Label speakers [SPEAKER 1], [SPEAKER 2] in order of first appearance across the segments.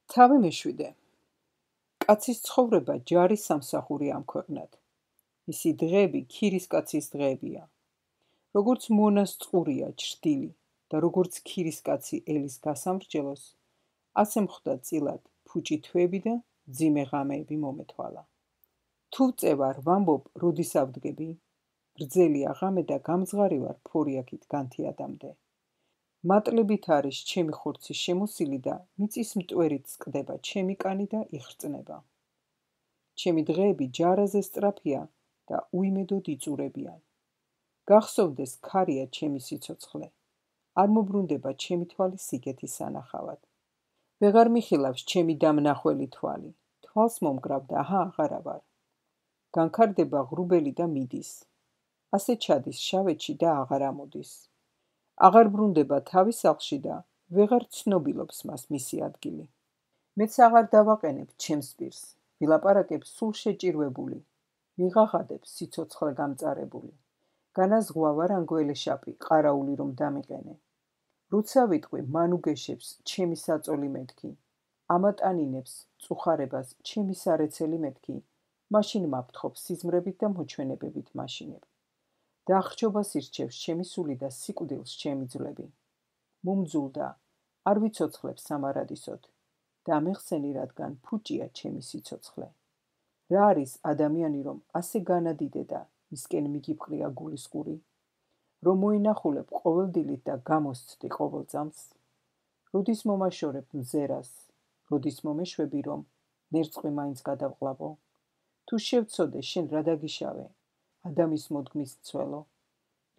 [SPEAKER 1] თავი მეშვიდე. კაცის ცხოვრება ჯარის სამსახურია ამ ქვეყნად. მისი დღეები ქირისკაცის დღეებია. როგორც მონას წყურია ჩრდილი და როგორც ქირისკაცი ელის გასამრჯელოს, ასე მხდა წილად ფუჭი თვეები და მძიმე ღამეები მომეთვალა. თუ წევარ ვამბობ, როდის ავდგები? გრძელია ღამე და გამძღარი ვარ ფორიაქით განთიადამდე. მატლებით არის ჩემი ხორცი შემოსილი და მიწის მტვერით წყდება ჩემი კანი და იხრწნება. ჩემი დღეები ჯარაზე სწრაფია და უიმედოდ იწურებიან. გახსოვდეს ქარია ჩემი სიცოცხლე. არ მობრუნდება ჩემი თვალი სიგეთის სანახავად. ვეღარ მიხილავს ჩემი დამნახველი თვალი. თვალს მომგრავ და აჰა აღარა ვარ. განქარდება ღრუბელი და მიდის. ასე ჩადის შავეთში და აღარ ამოდის. აღარ ბრუნდება თავის სახლში და ვეღარ ცნობილობს მას მისი ადგილი. მეც აღარ დავაყენებ ჩემს პირს, ვილაპარაკებ სულ შეჭირვებული, ვიღაღადებ სიცოცხლე გამწარებული. განაზღვა ვარ ანგველეშაპი, ყარაული რომ დამიყენე. როცა ვიტყვი, მან უგეშებს ჩემი საწოლი მეთქი, ამატანინებს წუხარებას ჩემი სარეცელი მეთქი, მაშინ მაფრთხობ სიზმრებით და მოჩვენებებით მაშინებ. დახრჩობას ირჩევს ჩემი სული და სიკვდილს ჩემი ძვლები. მომძულდა, არ ვიცოცხლებ სამარადისოდ და მეხსენი, რადგან ფუჭია ჩემი სიცოცხლე. რა არის ადამიანი, რომ ასე განადიდე და მისკენ მიგიფყრია გულისყური, რომ მოინახულებ ყოველდილით და გამოსცდი ყოველ წამს? როდის მომაშორებ მზერას, როდის მომეშვები, რომ ნერწყვი მაინც გადავყლავო? თუ შევცოდე, შენ რა დაგიშავე? ადამის მოდგმის მცველო,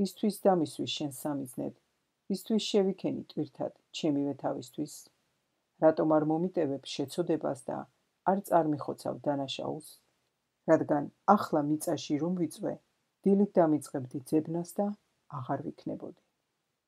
[SPEAKER 1] რისთვის დამისვი შენ სამიზნედ, რისთვის შევიქენი ტვირთად ჩემივე თავისთვის? რატომ არ მომიტევებ შეცოდებას და არ წარმიხოცავ დანაშაულს? რადგან ახლა მიწაში რომ ვიწვე, დილით დამიწყებდი ძებნას და აღარ ვიქნებოდი.